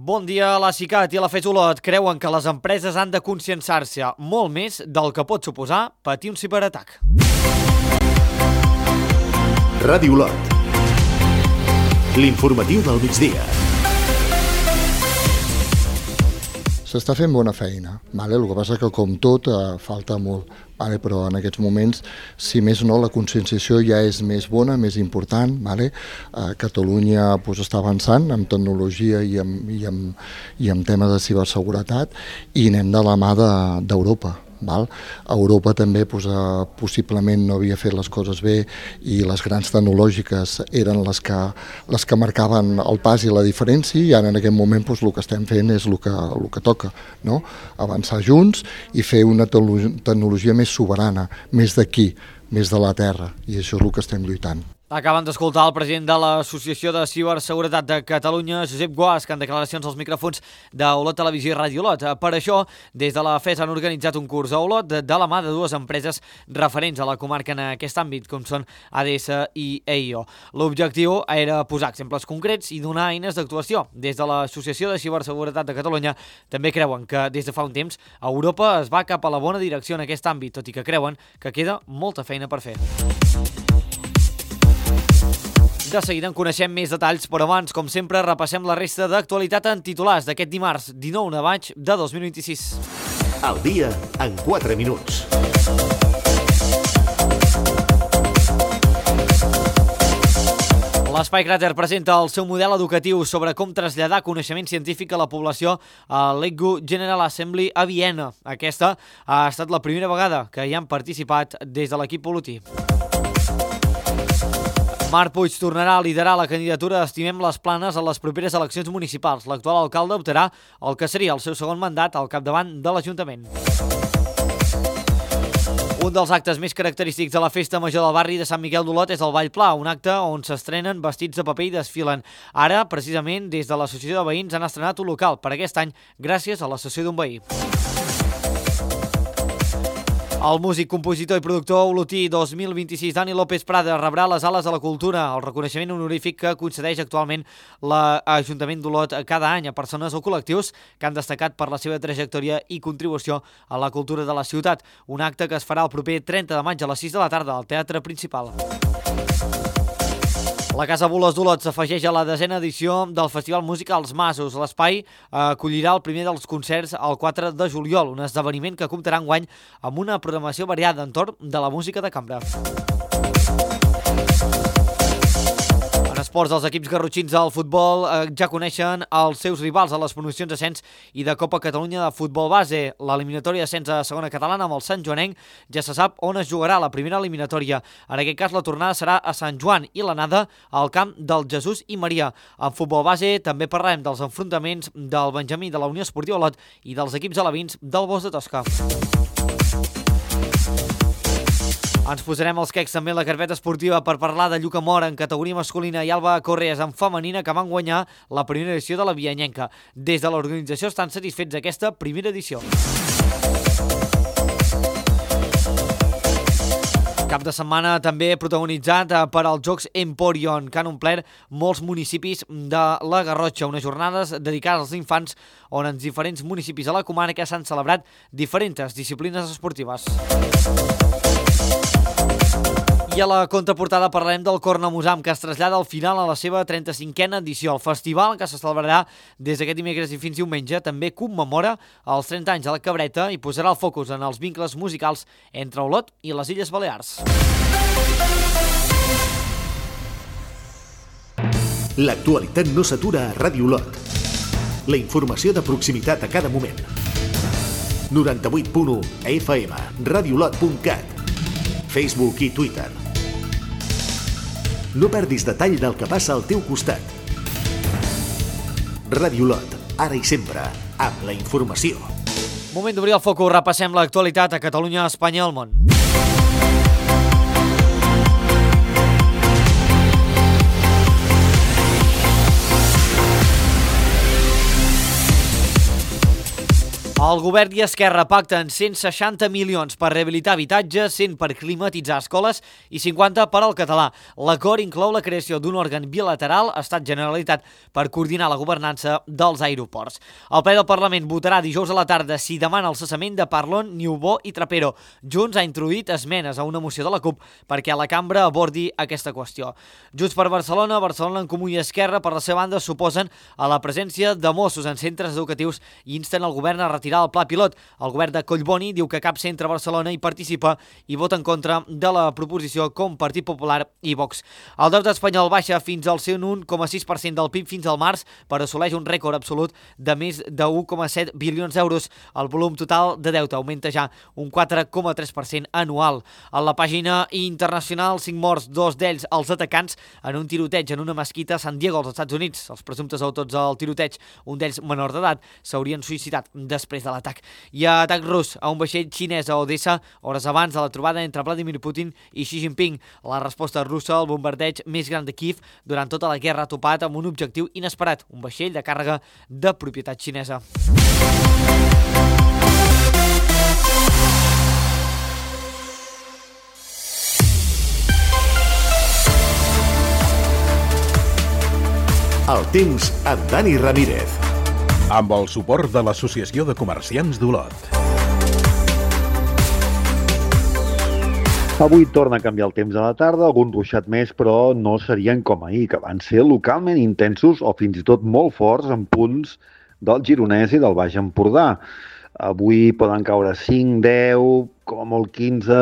Bon dia. La CICAT i la FES Olot creuen que les empreses han de conscienciar-se molt més del que pot suposar patir un ciberatac. Ràdio Olot. L'informatiu del migdia. S'està fent bona feina, el que passa que com tot falta molt, però en aquests moments, si més no, la conscienciació ja és més bona, més important. Catalunya està avançant en tecnologia i en temes de ciberseguretat i anem de la mà d'Europa. Europa també possiblement no havia fet les coses bé i les grans tecnològiques eren les que marcaven el pas i la diferència, i ara en aquest moment el que estem fent és el que toca, no? Avançar junts i fer una tecnologia més soberana, més d'aquí, més de la terra, i això és el que estem lluitant. Acaben d'escoltar el president de l'Associació de Ciberseguretat de Catalunya, Josep Guasch, en declaracions als micròfons d'Olot Televisió i Ràdio Olot. Per això, des de la FES han organitzat un curs a Olot de la mà de dues empreses referents a la comarca en aquest àmbit, com són ADS i EIO. L'objectiu era posar exemples concrets i donar eines d'actuació. Des de l'Associació de Ciberseguretat de Catalunya també creuen que des de fa un temps Europa es va cap a la bona direcció en aquest àmbit, tot i que creuen que queda molta feina per fer. De seguida en coneixem més detalls, però abans, com sempre, repassem la resta d'actualitat en titulars d'aquest dimarts 19 de maig de 2026. El dia en 4 minuts. L'Espai Cràter presenta el seu model educatiu sobre com traslladar coneixement científic a la població a l'ECGU General Assembly a Viena. Aquesta ha estat la primera vegada que hi han participat des de l'equip olotí. Marc Puig tornarà a liderar la candidatura d'Estimem les Planes a les properes eleccions municipals. L'actual alcalde optarà el que seria el seu segon mandat al capdavant de l'Ajuntament. Un dels actes més característics de la Festa Major del barri de Sant Miquel d'Olot és el Ball Pla, un acte on s'estrenen vestits de paper i desfilen. Ara, precisament, des de l'Associació de Veïns han estrenat un local per aquest any gràcies a la cessió d'un veí. El músic, compositor i productor olotí 2026 Dani López Prada rebrà les Ales de la Cultura, el reconeixement honorífic que concedeix actualment l'Ajuntament d'Olot cada any a persones o col·lectius que han destacat per la seva trajectòria i contribució a la cultura de la ciutat. Un acte que es farà el proper 30 de maig a les 6 de la tarda al Teatre Principal. La Casa Bulos d'Olot s'afegeix a la 10a edició del Festival Música als Masos. L'espai acollirà el primer dels concerts el 4 de juliol, un esdeveniment que comptarà enguany amb una programació variada entorn de la música de cambra. En esports, els equips garrotxins del futbol ja coneixen els seus rivals a les promocions d'ascens i de Copa Catalunya de futbol base. L'eliminatòria d'ascens a segona catalana amb el Sant Joanenc ja se sap on es jugarà la primera eliminatòria. En aquest cas, la tornada serà a Sant Joan i l'anada al camp del Jesús i Maria. En futbol base també parlarem dels enfrontaments del Benjamí de la Unió Esportiva Olot i dels equips alevins del Bosc de Tosca. Ens posarem els quecs també en la carpeta esportiva per parlar de Lluca Mora en categoria masculina i Alba Correas en femenina, que van guanyar la primera edició de la Vianyenca. Des de l'organització estan satisfets d'aquesta primera edició. Cap de setmana també protagonitzat per als Jocs Emporion, que han omplert molts municipis de la Garrotxa, unes jornades dedicades als infants on en diferents municipis de la comarca s'han celebrat diferents disciplines esportives. I a la contraportada parlarem del Cornamusam, que es trasllada al final a la seva 35a edició. El festival, que se celebrarà des d'aquest dimecres i fins diumenge, també commemora els 30 anys de la Cabreta i posarà el focus en els vincles musicals entre Olot i les Illes Balears. L'actualitat no s'atura a Ràdio Olot. La informació de proximitat a cada moment. 98.1 FM, radioolot.cat, Facebook i Twitter. No perdis detall del que passa al teu costat. Ràdio Olot, ara i sempre, amb la informació. Moment d'obrir el focus, repassem l'actualitat a Catalunya, Espanya i el món. El govern i Esquerra pacten 160 milions per rehabilitar habitatges, 100 per climatitzar escoles i 50 per al català. L'acord inclou la creació d'un òrgan bilateral Estat-Generalitat per coordinar la governança dels aeroports. El ple del Parlament votarà dijous a la tarda si demana el cessament de Parlon, Niubó i Trapero. Junts ha introduït esmenes a una moció de la CUP perquè la cambra abordi aquesta qüestió. Junts per Barcelona, Barcelona en Comú i Esquerra, per la seva banda, s'oposen a la presència de Mossos en centres educatius i insten el govern a retirar el pla pilot. El govern de Collboni diu que cap centre a Barcelona hi participa i vota en contra de la proposició com Partit Popular i Vox. El deute espanyol baixa fins al 1,6% del PIB fins al març, però assoleix un rècord absolut de més de 1,7 bilions d'euros. El volum total de deute augmenta ja un 4,3% anual. A la pàgina internacional, 5 morts, 2 d'ells els atacants en un tiroteig en una mesquita a San Diego, als Estats Units. Els presumptes autors del tiroteig, un d'ells menor d'edat, s'haurien suïcidat després de l'atac. Hi ha atac rus a un vaixell xinès a Odessa hores abans de la trobada entre Vladimir Putin i Xi Jinping. La resposta russa al bombardeig més gran de Kiev durant tota la guerra ha topat amb un objectiu inesperat, un vaixell de càrrega de propietat xinesa. El temps amb Dani Ramírez. Amb el suport de l'Associació de Comerciants d'Olot. Avui torna a canviar el temps a la tarda, algun ruixat més, però no serien com ahir, que van ser localment intensos o fins i tot molt forts en punts del Gironès i del Baix Empordà. Avui poden caure 5, 10, com a molt 15,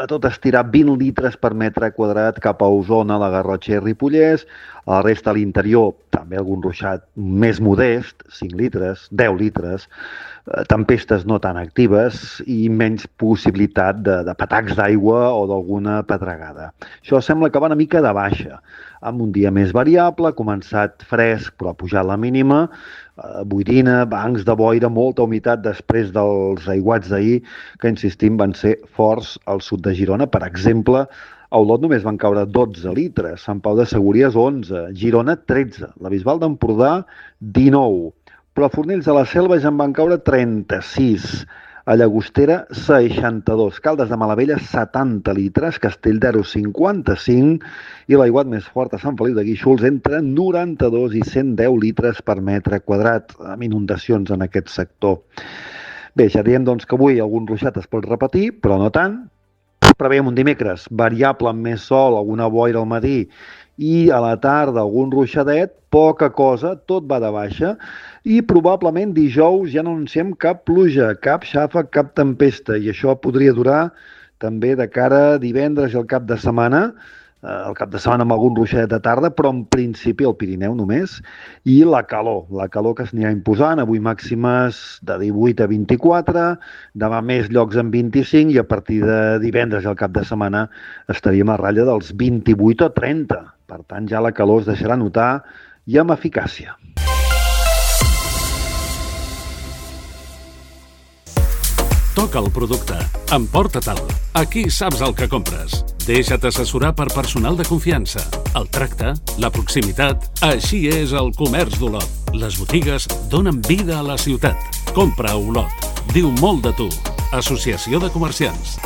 a tot estirar 20 litres per metre quadrat cap a Osona, la Garrotxa i Ripollès. A la resta, a l'interior, també algun ruixat més modest, 5 litres, 10 litres, tempestes no tan actives i menys possibilitat de patacs d'aigua o d'alguna pedregada. Això sembla que va una mica de baixa, amb un dia més variable, ha començat fresc però ha pujat la mínima, boirina, bancs de boira, molta humitat després dels aiguats d'ahir, que insistim van ser forts al sud de Girona. Per exemple, a Olot només van caure 12 litres, Sant Pau de Segúries 11, Girona 13, la Bisbal d'Empordà 19, però a Fornells de la Selva ja en van caure 36, a Llagostera 62, Caldes de Malavella 70 litres, Castelldaro 55 i l'aiguat més fort a Sant Feliu de Guíxols entre 92 i 110 litres per metre quadrat, amb inundacions en aquest sector. Bé, ja diem doncs que avui algun ruixat es pot repetir, però no tant. Preveiem un dimecres variable amb més sol, alguna boira al matí i a la tarda algun ruixadet, poca cosa, tot va de baixa i probablement dijous ja no anunciem cap pluja, cap xàfec, cap tempesta i això podria durar també de cara a divendres i el cap de setmana amb algun ruixadet de tarda, però en principi al Pirineu només, i la calor que s'anirà imposant, avui màximes de 18 a 24, demà més llocs en 25 i a partir de divendres i el cap de setmana estaríem a ratlla dels 28 o 30. Per tant, ja la calor es deixarà notar i amb eficàcia. Toca el producte. Emporta-te'l. Aquí saps el que compres. Deixa't assessorar per personal de confiança. El tracte, la proximitat, així és el comerç d'Olot. Les botigues donen vida a la ciutat. Compra a Olot. Diu molt de tu. Associació de Comerciants.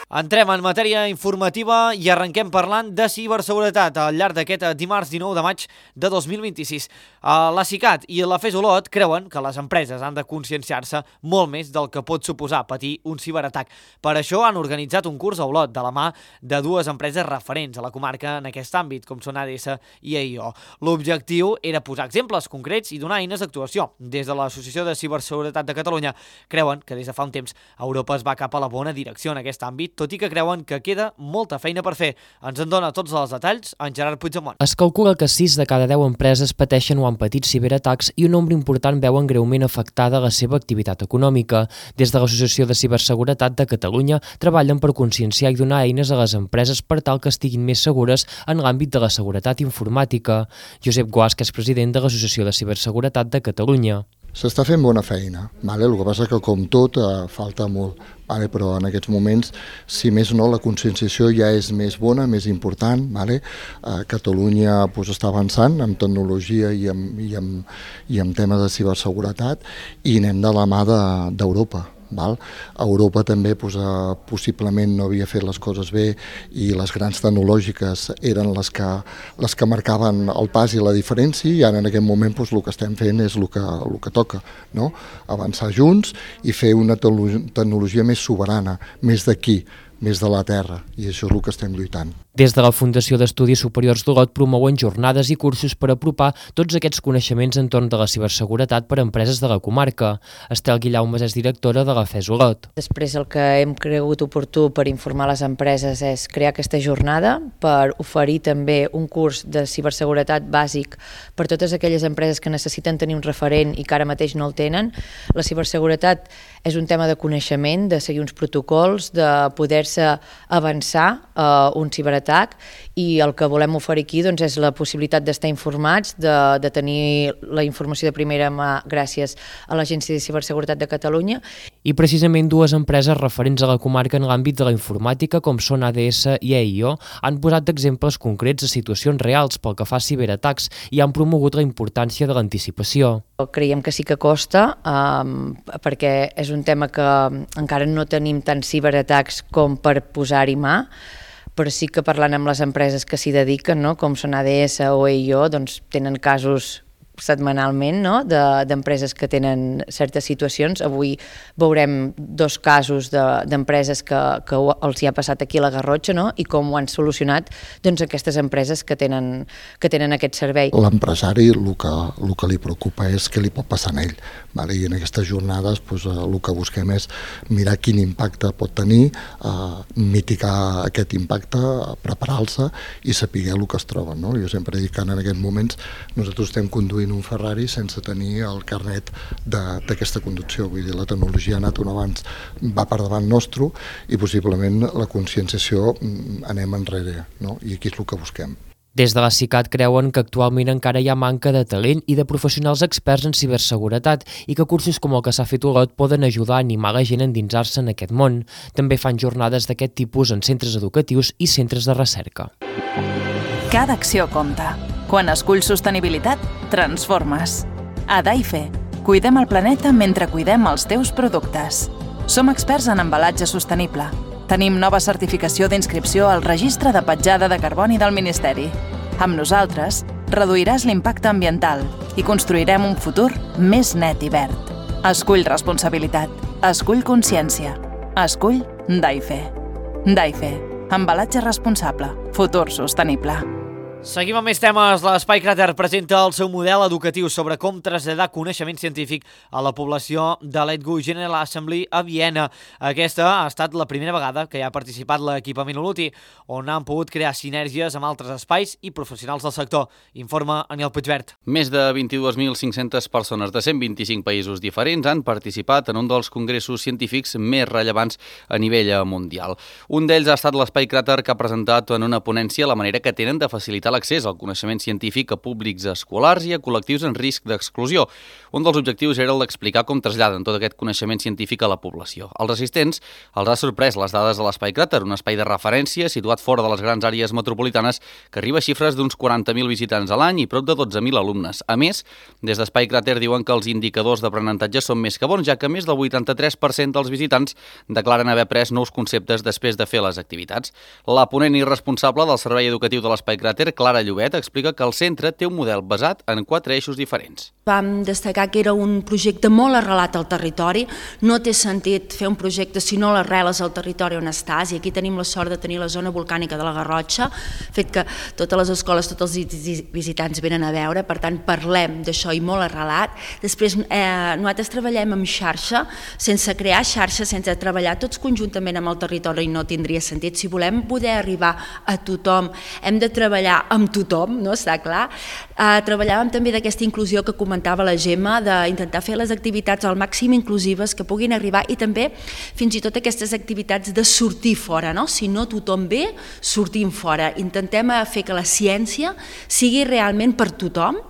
Entrem en matèria informativa i arrenquem parlant de ciberseguretat al llarg d'aquest dimarts 19 de maig de 2026. La CICAT i la FES Olot creuen que les empreses han de conscienciar-se molt més del que pot suposar patir un ciberatac. Per això han organitzat un curs a Olot de la mà de dues empreses referents a la comarca en aquest àmbit, com són ADS i AIO. L'objectiu era posar exemples concrets i donar eines d'actuació. Des de l'Associació de Ciberseguretat de Catalunya creuen que des de fa un temps Europa es va cap a la bona direcció en aquest àmbit, tot i que creuen que queda molta feina per fer. Ens en dona tots els detalls en Gerard Puigdemont. Es calcula que 6 de cada 10 empreses pateixen o han patit ciberatacs i un nombre important veuen greument afectada la seva activitat econòmica. Des de l'Associació de Ciberseguretat de Catalunya treballen per conscienciar i donar eines a les empreses per tal que estiguin més segures en l'àmbit de la seguretat informàtica. Josep Guasca és president de l'Associació de Ciberseguretat de Catalunya. S'està fent bona feina, el que passa que com tot falta molt, però en aquests moments, si més no, la conscienciació ja és més bona, més important. Catalunya està avançant en tecnologia i en temes de ciberseguretat i anem de la mà d'Europa. Europa també possiblement no havia fet les coses bé i les grans tecnològiques eren les que marcaven el pas i la diferència, i ara en aquest moment el que estem fent és el que toca, no? Avançar junts i fer una tecnologia més soberana, més d'aquí, més de la terra, i això és el que estem lluitant. Des de la Fundació d'Estudis Superiors d'Olot promouen jornades i cursos per apropar tots aquests coneixements entorn de la ciberseguretat per a empreses de la comarca. Estel Guillaumes és directora de la FES Olot. Després el que hem cregut oportú per informar les empreses és crear aquesta jornada per oferir també un curs de ciberseguretat bàsic per totes aquelles empreses que necessiten tenir un referent i que ara mateix no el tenen. La ciberseguretat és un tema de coneixement, de seguir uns protocols, de poder-se avançar a un ciberatac, i el que volem oferir aquí és la possibilitat d'estar informats, de tenir la informació de primera mà gràcies a l'Agència de Ciberseguretat de Catalunya. I precisament dues empreses referents a la comarca en l'àmbit de la informàtica, com són ADS i EIO, han posat d'exemples concrets de situacions reals pel que fa a ciberatacs i han promogut la importància de l'anticipació. Creiem que sí que costa, perquè és un tema que encara no tenim tants ciberatacs com per posar-hi mà, però sí que parlant amb les empreses que s'hi dediquen, com són ADS o EIO, tenen casos setmanalment d'empreses que tenen certes situacions. Avui veurem dos casos d'empreses que els hi ha passat aquí a la Garrotxa i com ho han solucionat aquestes empreses que tenen aquest servei. L'empresari el que li preocupa és què li pot passar a ell, i en aquestes jornades el que busquem és mirar quin impacte pot tenir, mitigar aquest impacte, preparar-se i saber el que es troben. Jo sempre dic que en aquests moments nosaltres estem conduint un Ferrari sense tenir el carnet d'aquesta conducció. Vull dir, la tecnologia ha anat un abans, va per davant nostre, i possiblement la conscienciació anem enrere, i aquí és el que busquem. Des de la CICAT creuen que actualment encara hi ha manca de talent i de professionals experts en ciberseguretat i que cursos com el que s'ha fet a Olot poden ajudar a animar la gent a endinsar-se en aquest món. També fan jornades d'aquest tipus en centres educatius i centres de recerca. Cada acció compta. Quan esculls sostenibilitat, transformes. A Daife, cuidem el planeta mentre cuidem els teus productes. Som experts en embalatge sostenible. Tenim nova certificació d'inscripció al Registre de Petjada de Carboni del Ministeri. Amb nosaltres, reduiràs l'impacte ambiental i construirem un futur més net i verd. Escull responsabilitat. Escull consciència. Escull Daife. Daife. Embalatge responsable. Futur sostenible. Seguim amb més temes. L'Espai Cràter presenta el seu model educatiu sobre com traslladar coneixement científic a la població de l'ETGU General Assembly a Viena. Aquesta ha estat la primera vegada que hi ha participat l'equipament Oluti, on han pogut crear sinergies amb altres espais i professionals del sector. Informa Aniel Puigvert. Més de 22.500 persones de 125 països diferents han participat en un dels congressos científics més rellevants a nivell mundial. Un d'ells ha estat l'Espai Cràter, que ha presentat en una ponència la manera que tenen de facilitar l'accés al coneixement científic a públics escolars i a col·lectius en risc d'exclusió. Un dels objectius era el d'explicar com traslladen tot aquest coneixement científic a la població. Els assistents els ha sorprès les dades de l'Espai Cràter, un espai de referència situat fora de les grans àrees metropolitanes que arriba a xifres d'uns 40.000 visitants a l'any i prop de 12.000 alumnes. A més, des d'Espai Cràter diuen que els indicadors d'aprenentatge són més que bons, ja que més del 83% dels visitants declaren haver après nous conceptes després de fer les activitats. La ponent i responsable del Servei Educatiu de l'Espai Cràter, Clara Llobet, explica que el centre té un model basat en 4 eixos diferents. Vam destacar que era un projecte molt arrelat al territori. No té sentit fer un projecte si no l'arreles al territori on estàs, i aquí tenim la sort de tenir la zona volcànica de la Garrotxa, fet que totes les escoles, tots els visitants venen a veure, per tant parlem d'això i molt arrelat. Després nosaltres treballem amb xarxa, sense crear xarxa, sense treballar tots conjuntament amb el territori no tindria sentit. Si volem poder arribar a tothom, hem de treballar amb tothom, no? Està clar. Treballàvem també d'aquesta inclusió que comentava la Gemma, d'intentar fer les activitats al màxim inclusives que puguin arribar, i també fins i tot aquestes activitats de sortir fora, no? Si no tothom ve, sortim fora. Intentem fer que la ciència sigui realment per tothom,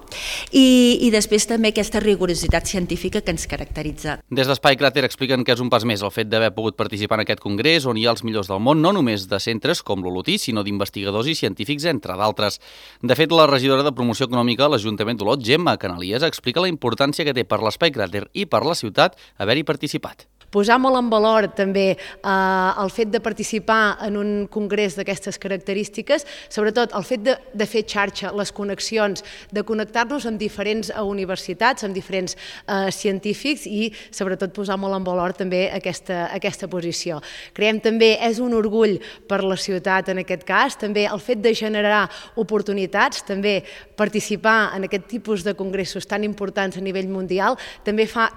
i després també aquesta rigorositat científica que ens caracteritza. Des d'Espai Cràter expliquen que és un pas més el fet d'haver pogut participar en aquest congrés on hi ha els millors del món, no només de centres com l'Olotí, sinó d'investigadors i científics, entre d'altres. De fet, la regidora de Promoció Econòmica a l'Ajuntament d'Olot, Gemma Canalies, explica la importància que té per l'Espai Cràter i per la ciutat haver-hi participat. Posar molt en valor també el fet de participar en un congrés d'aquestes característiques, sobretot el fet de fer xarxa, les connexions, de connectar-nos amb diferents universitats, amb diferents científics i sobretot posar molt en valor també aquesta posició. Creiem també és un orgull per la ciutat en aquest cas, també el fet de generar oportunitats, també participar en aquest tipus de congressos tan importants a nivell mundial, també fa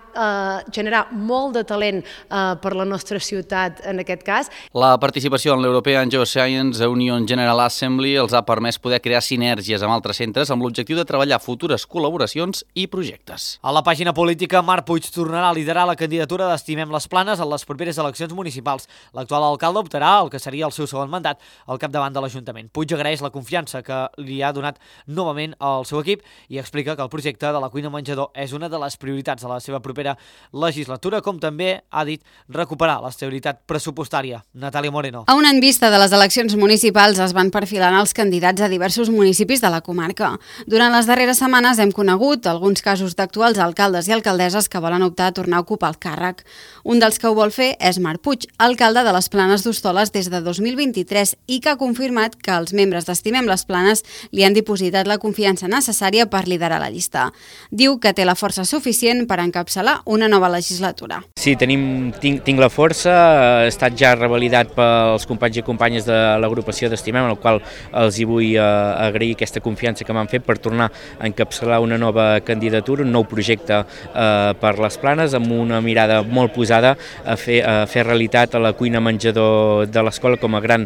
generar molt de talent per la nostra ciutat en aquest cas. La participació en l'European Geoscience Union General Assembly els ha permès poder crear sinergies amb altres centres amb l'objectiu de treballar futures col·laboracions i projectes. A la pàgina política, Marc Puig tornarà a liderar la candidatura d'Estimem les Planes en les properes eleccions municipals. L'actual alcalde optarà el que seria el seu segon mandat al capdavant de l'Ajuntament. Puig agraeix la confiança que li ha donat novament al seu equip i explica que el projecte de la cuina menjador és una de les prioritats de la seva propera legislatura, com també ha dit recuperar l'estabilitat pressupostària. Natàlia Moreno. A un any vista de les eleccions municipals es van perfilant els candidats a diversos municipis de la comarca. Durant les darreres setmanes hem conegut alguns casos d'actuals alcaldes i alcaldesses que volen optar a tornar a ocupar el càrrec. Un dels que ho vol fer és Marc Puig, alcalde de les Planes d'Hostoles des de 2023 i que ha confirmat que els membres d'Estimem les Planes li han dipositat la confiança necessària per liderar la llista. Diu que té la força suficient per encapçalar una nova legislatura. Sí, tinc la força, ha estat ja revalidat pels companys i companyes de l'agrupació d'Estimem, en el qual els hi vull agrair aquesta confiança que m'han fet per tornar a encapçalar una nova candidatura, un nou projecte per les Planes, amb una mirada molt posada a fer realitat a la cuina menjador de l'escola com a gran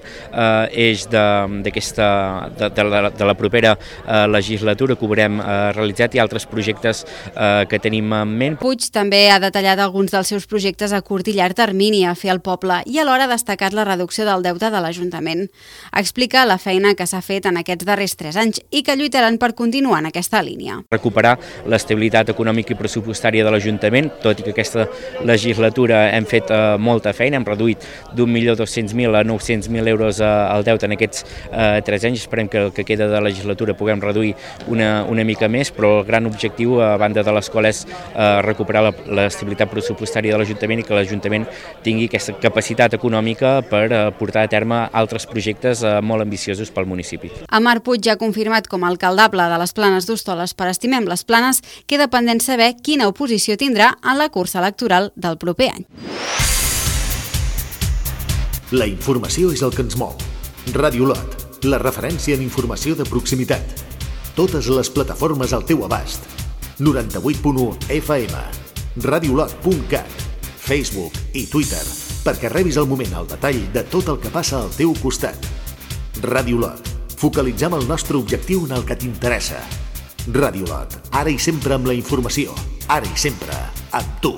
eix de la propera legislatura que haurem realitzat i altres projectes que tenim en ment. Puig també ha detallat alguns dels seus projectes a curt i llarg termini a fer al poble i alhora ha destacat la reducció del deute de l'Ajuntament. Explica la feina que s'ha fet en aquests darrers 3 anys i que lluitaran per continuar en aquesta línia. Recuperar l'estabilitat econòmica i pressupostària de l'Ajuntament, tot i que aquesta legislatura hem fet molta feina, hem reduït d'1.200.000 a 900.000 euros el deute en aquests 3 anys. Esperem que el que queda de legislatura puguem reduir una mica més, però el gran objectiu, a banda de l'escola, és recuperar l'estabilitat pressupostària de l'Ajuntament i que l'Ajuntament tingui aquesta capacitat econòmica per portar a terme altres projectes molt ambiciosos pel municipi. A Marc Puig ja ha confirmat com a alcaldable de les Planes d'Hostoles per Estimem les Planes, queda pendent saber quina oposició tindrà en la cursa electoral del proper any. La informació és el que ens mou. Ràdio Olot, la referència en informació de proximitat. Totes les plataformes al teu abast. 98.1 FM, radiolot.cat, Facebook i Twitter, perquè rebis al moment el detall de tot el que passa al teu costat. Ràdio Olot, focalitzem el nostre objectiu en el que t'interessa. Ràdio Olot, ara i sempre amb la informació, ara i sempre amb tu.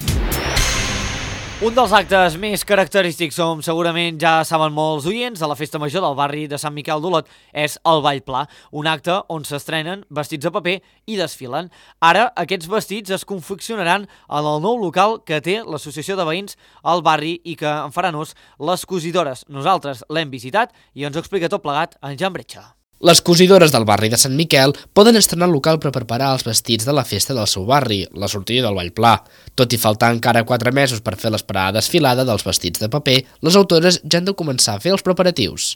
Un dels actes més característics, com segurament ja saben molts oients, de la festa major del barri de Sant Miquel d'Olot és el Ball Pla, un acte on s'estrenen vestits de paper i desfilen. Ara aquests vestits es confeccionaran en el nou local que té l'associació de veïns al barri i que en faran ús les cosidores. Nosaltres l'hem visitat i ens ho explica tot plegat en Jan Bretxa. Les cosidores del barri de Sant Miquel poden estrenar el local per preparar els vestits de la festa del seu barri, la sortida del Ball Pla. Tot i faltar encara 4 mesos per fer l'esperada desfilada dels vestits de paper, les autores ja han de començar a fer els preparatius.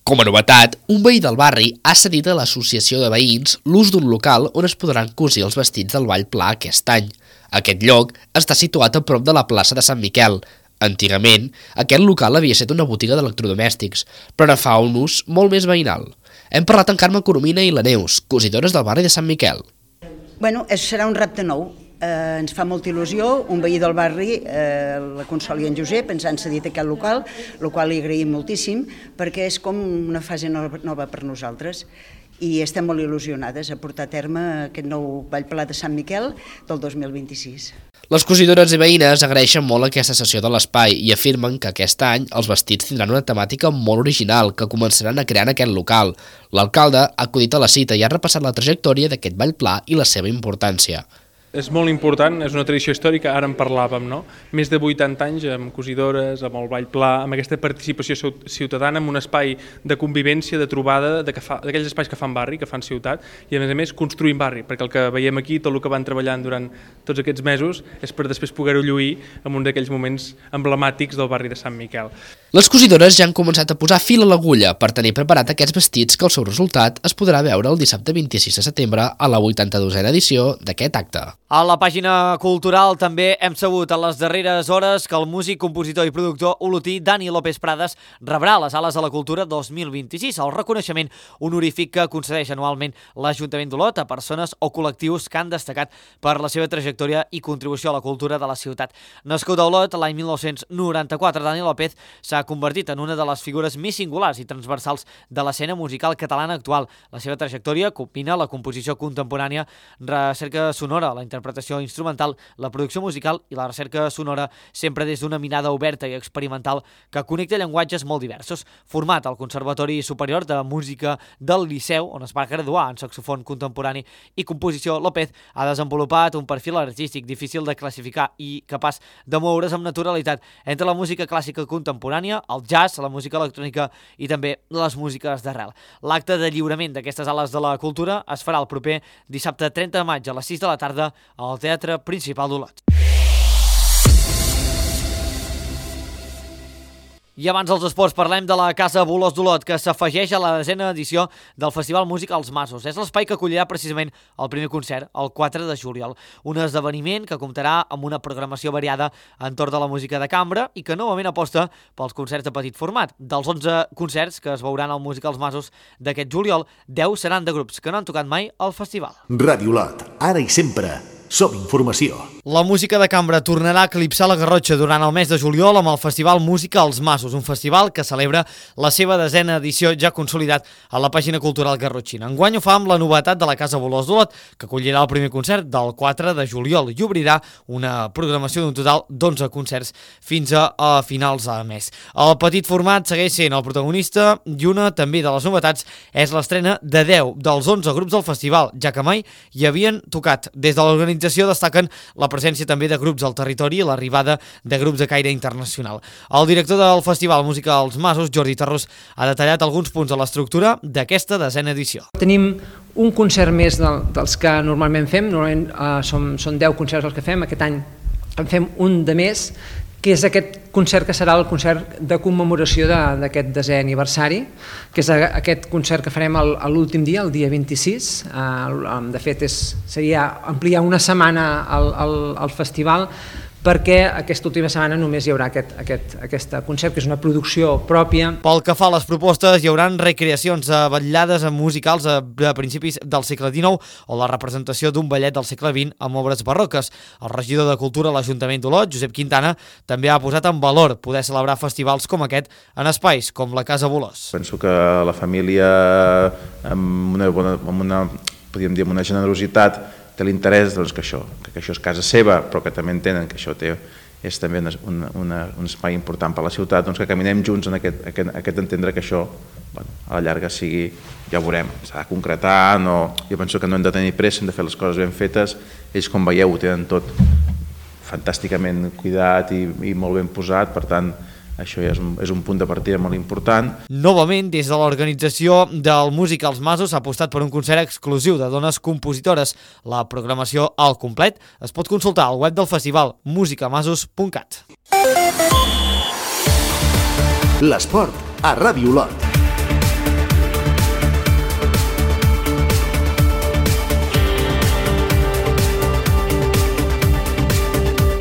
Com a novetat, un veí del barri ha cedit a l'associació de veïns l'ús d'un local on es podran cosir els vestits del Ball Pla aquest any. Aquest lloc està situat a prop de la plaça de Sant Miquel. Antigament, aquest local havia estat una botiga d'electrodomèstics, però ara fa un ús molt més veïnal. Hem parlat amb Carme Coromina i la Neus, cosidores del barri de Sant Miquel. Bueno, serà un repte nou. Ens fa molta il·lusió, un veí del barri, la Consol i en Josep, ens han cedit aquest local, el qual li agraïm moltíssim, perquè és com una fase nova per nosaltres. I estem molt il·lusionades a portar a terme aquest nou Ball Pla de Sant Miquel del 2026. Les cosidores i veïnes agraeixen molt aquesta sessió de l'espai i afirmen que aquest any els vestits tindran una temàtica molt original que començaran a crear en aquest local. L'alcalde ha acudit a la cita i ha repassat la trajectòria d'aquest ball pla i la seva importància. És molt important, és una tradició històrica, ara en parlàvem, no? Més de 80 anys amb cosidores, amb el ball pla, amb aquesta participació ciutadana, amb un espai de convivència, de trobada, d'aquells espais que fan barri, que fan ciutat, i a més construint barri, perquè el que veiem aquí, tot el que van treballant durant tots aquests mesos, és per després poder-ho lluir en un d'aquells moments emblemàtics del barri de Sant Miquel. Les cosidores ja han començat a posar fil a l'agulla per tenir preparat aquests vestits que el seu resultat es podrà veure el dissabte 26 de setembre a la 82a edició d'aquest acte. A la pàgina cultural també hem sabut a les darreres hores que el músic, compositor i productor olotí Dani López Prades rebrà les Ales de la Cultura 2026, el reconeixement honorífic que concedeix anualment l'Ajuntament d'Olot a persones o col·lectius que han destacat per la seva trajectòria i contribució a la cultura de la ciutat. Nascut a Olot l'any 1994, Dani López s'ha convertit en una de les figures més singulars i transversals de l'escena musical catalana actual. La seva trajectòria combina la composició contemporània, recerca sonora, la interpretació instrumental, la producció musical i la recerca sonora sempre des d'una mirada oberta i experimental que connecta llenguatges molt diversos. Format al Conservatori Superior de Música del Liceu, on es va graduar en saxofon contemporani i composició, López ha desenvolupat un perfil artístic difícil de classificar i capaç de moure's amb naturalitat entre la música clàssica contemporània, el jazz, la música electrònica i també les músiques d'arrel. L'acte de lliurament d'aquestes Ales de la Cultura es farà el proper dissabte 30 de maig a les 6 de la tarda al Teatre Principal d'Olot. I abans dels esports parlem de la Casa Bolós d'Olot, que s'afegeix a la 10a edició del Festival Música als Masos. És l'espai que acollirà precisament el primer concert, el 4 de juliol. Un esdeveniment que comptarà amb una programació variada entorn de la música de cambra i que novament aposta pels concerts de petit format. Dels 11 concerts que es veuran al Música als Masos d'aquest juliol, 10 seran de grups que no han tocat mai al festival. Ràdio Olot, ara i sempre. Som informació. La música de cambra tornarà a eclipsar la Garrotxa durant el mes de juliol amb el Festival Música als Masos, un festival que celebra la seva 10a edició ja consolidat a la pàgina cultural garrotxina. Enguany ho fa amb la novetat de la Casa Bolós d'Olot, que acollirà el primer concert del 4 de juliol i obrirà una programació d'un total d'11 concerts fins a finals de mes. El petit format segueix sent el protagonista i una també de les novetats és l'estrena de 10 dels 11 grups del festival, ja que mai hi havien tocat. Des de l'organització destaquen la presència també de grups al territori i l'arribada de grups de caire internacional. El director del Festival Música als Masos, Jordi Tarrós, ha detallat alguns punts de l'estructura d'aquesta 10a edició. Tenim un concert més dels que normalment fem, són 10 concerts els que fem, aquest any en fem un de més, que és aquest concert que serà el concert de commemoració d'aquest 10è aniversari, que és aquest concert que farem l'últim dia, el dia 26. De fet, seria ampliar una setmana el festival, perquè aquesta última setmana només hi haurà aquest concert, que és una producció pròpia. Pel que fa a les propostes, hi haurà recreacions de vetllades musicals a principis del segle XIX o la representació d'un ballet del segle XX amb obres barroques. El regidor de Cultura a l'Ajuntament d'Olot, Josep Quintana, també ha posat en valor poder celebrar festivals com aquest en espais com la Casa Bolós. Penso que la família, amb una generositat, té l'interès que això és casa seva, però que també entenen que això és també un espai important per a la ciutat, que caminem junts en aquest entendre que això a la llarga sigui, ja ho veurem, s'ha de concretar, jo penso que no hem de tenir pressa, hem de fer les coses ben fetes, ells com veieu ho tenen tot fantàsticament cuidat i molt ben posat, per tant això ja és un punt de partida molt important. Novament, des de l'organització del Música als Masos s'ha apostat per un concert exclusiu de dones compositores. La programació al complet es pot consultar al web del festival musicamasos.cat. L'esport a Ràdio Olot.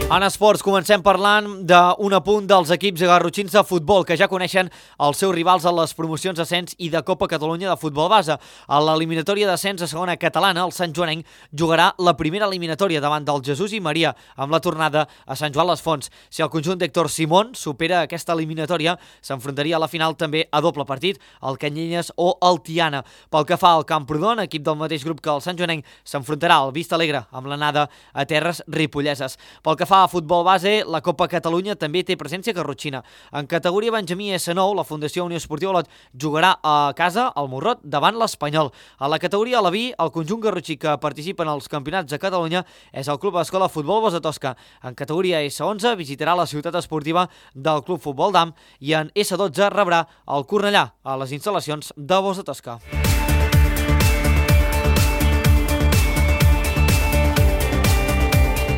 En esports comencem parlant d'un apunt dels equips garrotxins de futbol que ja coneixen els seus rivals a les promocions d'ascens i de Copa Catalunya de futbol base. A l'eliminatòria d'ascens a segona catalana, el Sant Joanenc jugarà la primera eliminatòria davant del Jesús i Maria amb la tornada a Sant Joan les Fonts. Si el conjunt d'Héctor Simón supera aquesta eliminatòria, s'enfrontaria a la final també a doble partit, el Canyelles o el Tiana. Pel que fa al Camprodon, equip del mateix grup que el Sant Joanenc, s'enfrontarà al Vista Alegre amb l'anada a terres ripolleses. Pel que fa a futbol base, la Copa Catalunya també té presència garrotxina. En categoria Benjamí S9, la Fundació Unió Esportiva Olot jugarà a casa al Morrot davant l'Espanyol. A la categoria Alaví, el conjunt garrotxí que participa en els campionats de Catalunya és el Club Escola Futbol Bosa Tosca. En categoria S11 visitarà la ciutat esportiva del Club Futbol Dam i en S12 rebrà el Cornellà a les instal·lacions de Bosa Tosca.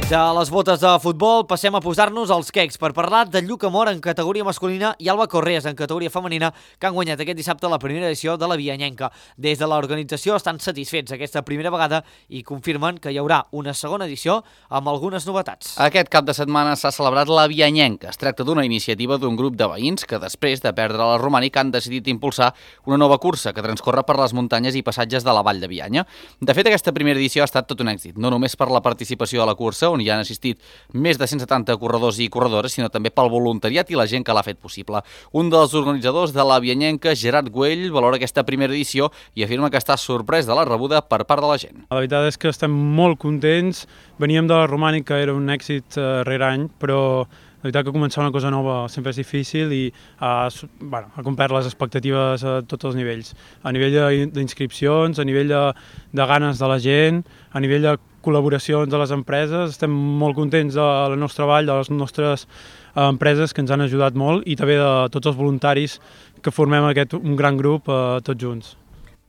De les botes de futbol passem a posar-nos als quecs per parlar de Lluc Amor en categoria masculina i Alba Correas en categoria femenina, que han guanyat aquest dissabte la primera edició de la Vianyenca. Des de l'organització estan satisfets aquesta primera vegada i confirmen que hi haurà una segona edició amb algunes novetats. Aquest cap de setmana s'ha celebrat la Vianyenca. Es tracta d'una iniciativa d'un grup de veïns que després de perdre la Romànica han decidit impulsar una nova cursa que transcorre per les muntanyes i passatges de la Vall de Bianya. De fet, aquesta primera edició ha estat tot un èxit, no només per la participació a la cursa, on hi han assistit més de 170 corredors i corredores, sinó també pel voluntariat i la gent que l'ha fet possible. Un dels organitzadors de la Vianyenca, Gerard Güell, valora aquesta primera edició i afirma que està sorprès de la rebuda per part de la gent. La veritat és que estem molt contents. Veníem de la Romànica, era un èxit rere any, però la veritat que començar una cosa nova sempre és difícil i ha complert les expectatives a tots els nivells. A nivell d'inscripcions, a nivell de ganes de la gent, a nivell de col·laboracions de les empreses. Estem molt contents del nostre treball, de les nostres empreses que ens han ajudat molt i també de tots els voluntaris que formem un gran grup tots junts.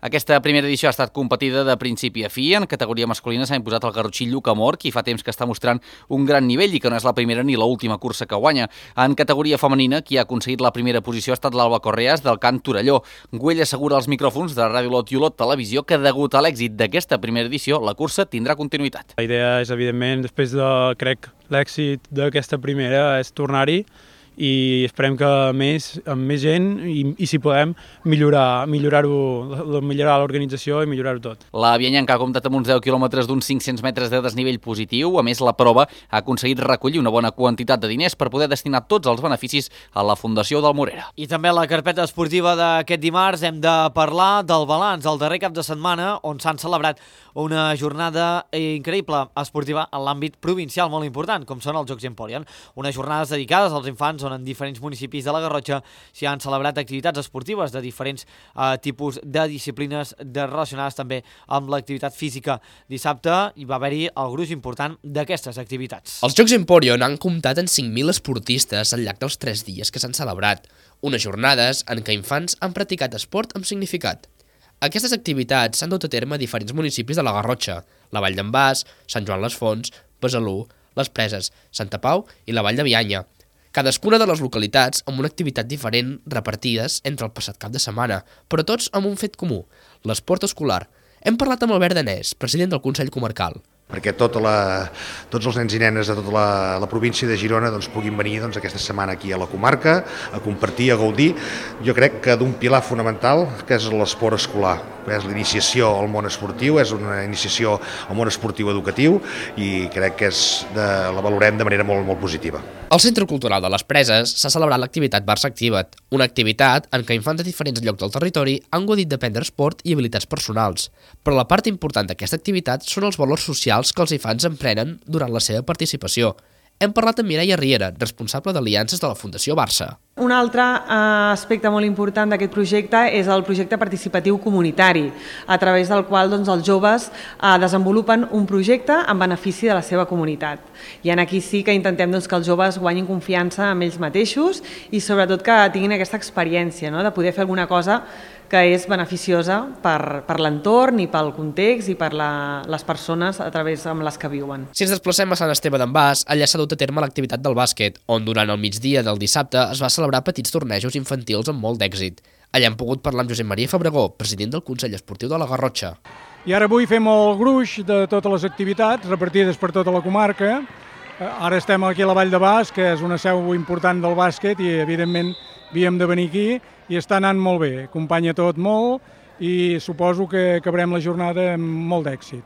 Aquesta primera edició ha estat competida de principi a fi. En categoria masculina s'ha imposat el garrotxí Lluc Amor, qui fa temps que està mostrant un gran nivell i que no és la primera ni l'última cursa que guanya. En categoria femenina, qui ha aconseguit la primera posició ha estat l'Alba Correas del Cant Torelló. Güell assegura als micròfons de Ràdio Olot i Olot Televisió que degut a l'èxit d'aquesta primera edició, la cursa tindrà continuïtat. La idea és, evidentment, després de, l'èxit d'aquesta primera és tornar-hi i esperem que amb més gent i si podem millorar l'organització i millorar-ho tot. La Vianyenca ha comptat amb uns 10 quilòmetres d'uns 500 metres de desnivell positiu. A més, la prova ha aconseguit recollir una bona quantitat de diners per poder destinar tots els beneficis a la Fundació del Morera. I també a la carpeta esportiva d'aquest dimarts hem de parlar del balanç del darrer cap de setmana on s'han celebrat una jornada increïble esportiva en l'àmbit provincial molt important, com són els Jocs Emporion. Unes jornades dedicades als infants on en diferents municipis de la Garrotxa s'hi han celebrat activitats esportives de diferents tipus de disciplines relacionades també amb l'activitat física. Dissabte hi va haver-hi el gruix important d'aquestes activitats. Els Jocs Emporion han comptat en 5.000 esportistes al llarg dels 3 dies que s'han celebrat, unes jornades en què infants han practicat esport amb significat. Aquestes activitats s'han dut a terme a diferents municipis de la Garrotxa, la Vall d'en Bas, Sant Joan les Fonts, Besalú, les Preses, Santa Pau i la Vall de Bianya. Cadascuna de les localitats amb una activitat diferent repartides entre el passat cap de setmana, però tots amb un fet comú, l'esport escolar. Hem parlat amb Albert Danès, president del Consell Comarcal. Perquè tots els nens i nenes de tota la província de Girona puguin venir aquesta setmana aquí a la comarca, a compartir, a gaudir. Jo crec que d'un pilar fonamental que és l'esport escolar, és l'iniciació al món esportiu, és una iniciació al món esportiu educatiu i crec que la valorem de manera molt, molt positiva. Al Centre Cultural de les Preses s'ha celebrat l'activitat Barça Activa't, una activitat en què infants de diferents llocs del territori han gaudit d'aprendre esport i habilitats personals. Però la part important d'aquesta activitat són els valors socials que els infants emprenen durant la seva participació. Hem parlat amb Mireia Riera, responsable d'Aliances de la Fundació Barça. Un altre aspecte molt important d'aquest projecte és el projecte participatiu comunitari, a través del qual els joves desenvolupen un projecte en benefici de la seva comunitat. I aquí sí que intentem que els joves guanyin confiança en ells mateixos i sobretot que tinguin aquesta experiència de poder fer alguna cosa que és beneficiosa per l'entorn i pel context i per les persones a través amb les que viuen. Si ens desplacem a Sant Esteve d'en Bas, allà s'ha dut a terme l'activitat del bàsquet, on durant el migdia del dissabte es va celebrar petits tornejos infantils amb molt d'èxit. Allà hem pogut parlar amb Josep Maria Fabregó, president del Consell Esportiu de la Garrotxa. I ara avui fem el gruix de totes les activitats repartides per tota la comarca Ara estem aquí a la Vall de Bas, que és una seu important del bàsquet i, evidentment, havíem de venir aquí i està anant molt bé. Acompanya tot molt i suposo que acabarem la jornada amb molt d'èxit.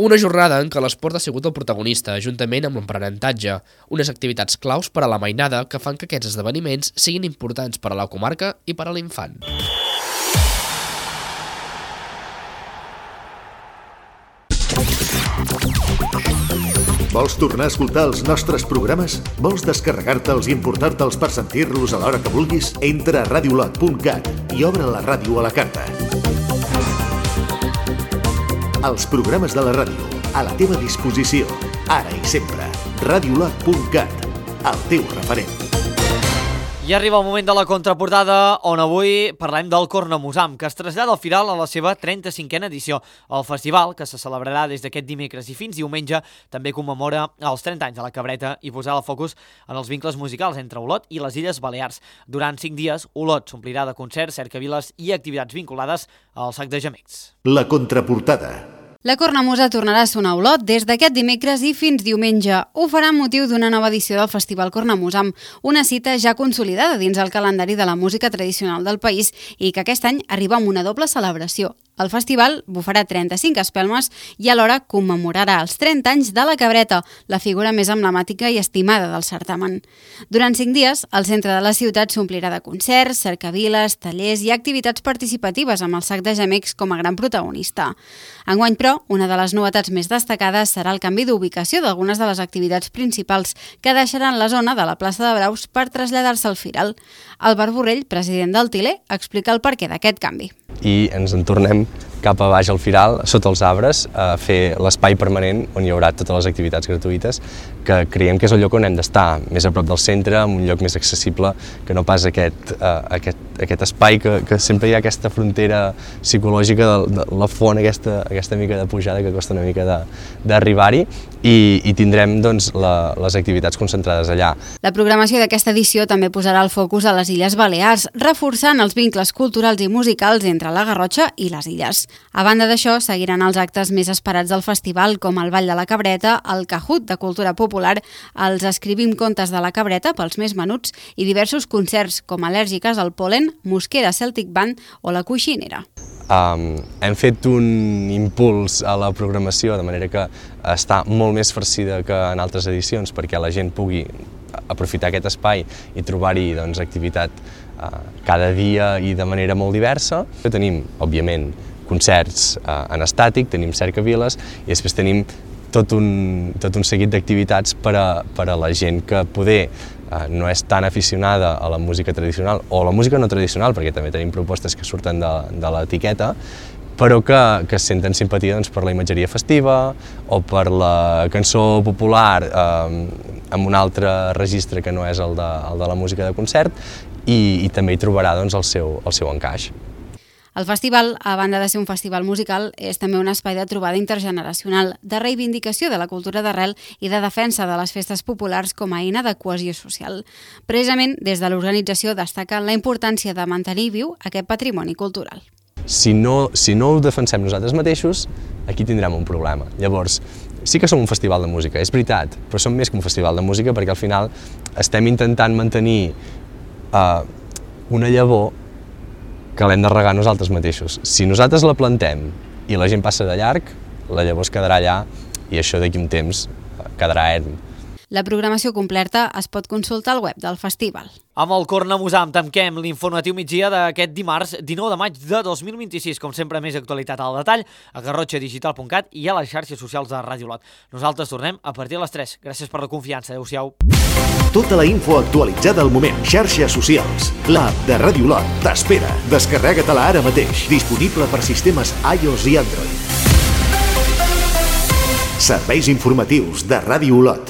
Una jornada en què l'esport ha sigut el protagonista, juntament amb l'aprenentatge, unes activitats claus per a la mainada que fan que aquests esdeveniments siguin importants per a la comarca i per a l'infant. Vols tornar a escoltar els nostres programes? Vols descarregar-te'ls i importar-te'ls per sentir-los a l'hora que vulguis? Entra a radiolot.cat i obre la ràdio a la carta. Els programes de la ràdio, a la teva disposició, ara i sempre. Radiolot.cat, el teu referent. I arriba el moment de la contraportada, on avui parlem del Cornamusam, que es trasllada al Firal a la seva 35a edició. El festival, que se celebrarà des d'aquest dimecres i fins diumenge, també commemora els 30 anys de la Cabreta i posarà el focus en els vincles musicals entre Olot i les Illes Balears. Durant 5 dies, Olot s'omplirà de concerts, cercaviles i activitats vinculades al sac de gemecs. La contraportada. La Cornamusa tornarà a sonar a Olot des d'aquest dimecres i fins diumenge. Ho farà amb motiu d'una nova edició del Festival Cornamusam, una cita ja consolidada dins el calendari de la música tradicional del país i que aquest any arriba amb una doble celebració. El festival bufarà 35 espelmes i alhora commemorarà els 30 anys de la Cabreta, la figura més emblemàtica i estimada del certamen. Durant 5 dies, el centre de la ciutat s'omplirà de concerts, cercaviles, tallers i activitats participatives amb el sac de gemecs com a gran protagonista. Enguany, però, una de les novetats més destacades serà el canvi d'ubicació d'algunes de les activitats principals que deixaran la zona de la plaça de Braus per traslladar-se al Firal. Albert Borrell, president del Tiler, explica el perquè d'aquest canvi. I ens en tornem cap a baix al Firal, sota els arbres, a fer l'espai permanent on hi haurà totes les activitats gratuïtes, que creiem que és el lloc on hem d'estar, més a prop del centre, en un lloc més accessible, que no pas aquest espai que sempre hi ha aquesta frontera psicològica de la font, aquesta mica de pujada que costa una mica d'arribar-hi, i tindrem doncs, les activitats concentrades allà. La programació d'aquesta edició també posarà el focus a les Illes Balears, reforçant els vincles culturals i musicals entre la Garrotxa i les illes. A banda d'això, seguiran els actes més esperats del festival, com el Ball de la Cabreta, el Cajut de cultura popular, els Escrivim contes de la Cabreta pels més menuts i diversos concerts com Al·lèrgiques al pol·len, Mosquera Celtic Band o La Coixinera. Hem fet un impuls a la programació, de manera que està molt més farcida que en altres edicions, perquè la gent pugui aprofitar aquest espai i trobar-hi activitat cada dia i de manera molt diversa. Tenim, òbviament, concerts en estàtic, tenim cercaviles i després tenim tot un seguit d'activitats per a la gent que poder no és tan aficionada a la música tradicional o a la música no tradicional, perquè també tenim propostes que surten de l'etiqueta, però que senten simpatia per la imatgeria festiva o per la cançó popular amb un altre registre que no és el de la música de concert, i també hi trobarà el seu encaix. El festival, a banda de ser un festival musical, és també un espai de trobada intergeneracional, de reivindicació de la cultura d'arrel i de defensa de les festes populars com a eina de cohesió social. Precisament, des de l'organització destaquen la importància de mantenir viu aquest patrimoni cultural. Si no ho defensem nosaltres mateixos, aquí tindrem un problema. Llavors, sí que som un festival de música, és veritat, però som més que un festival de música perquè al final estem intentant mantenir una llavor que l'hem de regar nosaltres mateixos. Si nosaltres la plantem i la gent passa de llarg, la llavor es quedarà allà i això d'aquí un temps quedarà erm. La programació completa es pot consultar al web del festival. Amb el Cornamusam tanquem l'informatiu migdia d'aquest dimarts 19 de maig de 2026. Com sempre, més actualitat al detall a garrotxadigital.cat i a les xarxes socials de Ràdio Olot. Nosaltres tornem a partir de les 3. Gràcies per la confiança. Adéu-siau. Tota la info actualitzada al moment. Xarxes socials. L'app de Ràdio Olot t'espera. Descarrega-te-la ara mateix. Disponible per sistemes iOS i Android. Serveis informatius de Ràdio Olot.